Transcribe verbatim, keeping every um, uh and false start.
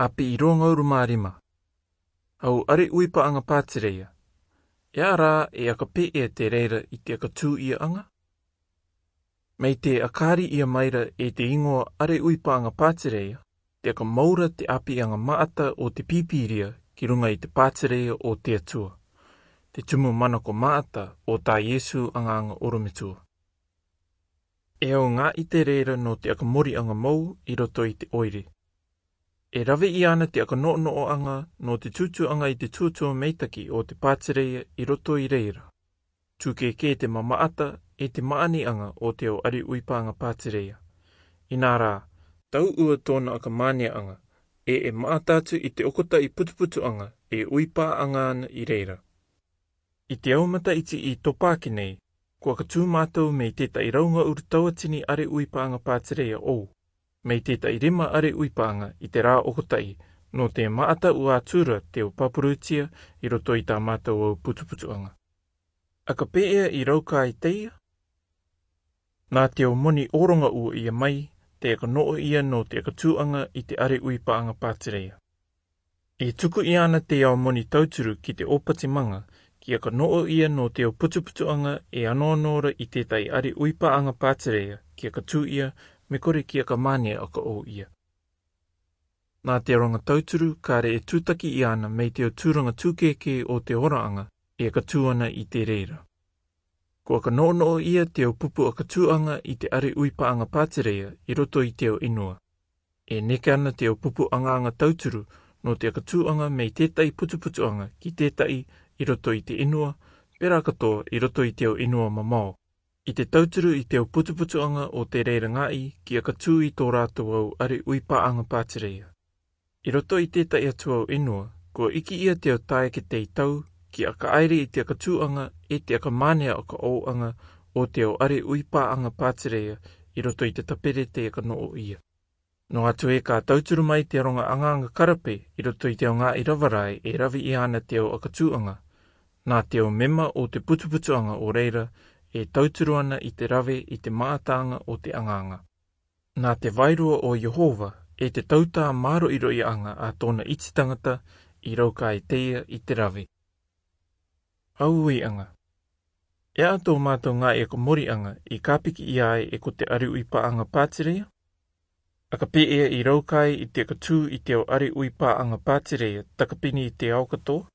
Api irōngauru mā rima. Hau areuipaʻaga pātireia. E aha rā e aka pēʻe te reira i te aka tūʻiaʻaga? Mai te aka riʻi ia maira e te igoa areuipaʻaga pātireia, te aka moura te ʻāpiʻaga maʻata o te pīpīria ki ruga i te pātireia o te Atua, te tumu manako maʻata o tā Iesu agaaga orometua. E au gā ʻite reira nō te aka moriʻaga mou i roto i te ʻoire. E rave iāna te aka noʻonoʻoʻaga nō te tūtūʻaga i te tuatua meitaki o te pātireia i roto i reira. Tūkēkē te mamaʻata e te maʻaniʻaga o te au areuipaʻaga pātireia. Inā rā, tauʻua tōna aka māneaʻaga, e e maʻata atu i te okotaʻi putuputuʻaga e uipaʻaga ana i reira. I te au mataʻiti i topāki nei, ko aka tū mātou mei tētaʻi raungauru tauatini areuipaʻaga pātireia ʻou, mei tētaʻi rima areuipaʻaga i te rā okotaʻi, nō te maʻata ua atura te au paparūtia i roto i tā mātou au putuputuʻaga. Aka pēʻe i raukae teia? Nā te au moni ʻōroga ua ia mai, te aka noʻo ia nō te aka tūʻaga i te areuipaʻaga pātireia. E tuku iāna te au moni tauturu ki te ʻōpati maga, ki aka noʻo ia nō te au putuputuʻaga e anoano ra i tētaʻi areuipaʻaga pātireia, ki aka tū ia, me kore ki aka mānea aka ʻou ia. Nā te roga tauturu, kāre e tūtaki iāna mei te au tūraga tūkēkē o te oraʻaga, e aka tū ana i te reira. Ko aka noʻonoʻo ia te au pupu aka tūʻaga i te areuipaʻaga pātireia i roto i te au ʻenua. E neke ana te au pupu agaaga tauturu nō te aka tūʻaga mei tētaʻi putuputuʻaga ki tētaʻi i roto i te ʻenua, pērā katoa i roto i te au ʻenua mamao. I te tauturu i te au putuputuʻaga o te reira gāʻi ki aka tū i tō rātou au areuipaʻaga pātireia. I roto i tētaʻi atu au ʻenua, kua iki ia te au taeake teitau, ki aka ʻaere i te aka tūʻaga, e te aka mānea aka ʻouʻaga, o te au areuipaʻaga pātireia, i roto i te tapere te aka noʻo ia. Noa atu ē ka tauturu mai te roga agaaga karape, i roto i te au gāʻi rava rae, e rave iāna te au aka tūʻaga. Nā te au mema o te putuputuʻaga o reira, e tauturu ana i te rave i te maʻataʻaga o te agaaga. Nā te vairua o Iehova, e te tautā māroʻiroʻiaʻaga a tōna iti tagata, i raukae teia i te rave. Au uiʻaga. E aha tō mātou gāʻi aka moriʻaga i kāpiki ia ai e ko te areuipaʻaga pātireia? Aka pēʻe i raukae i te aka tū i te au areuipaʻaga pātireia takapini i te ao katoa,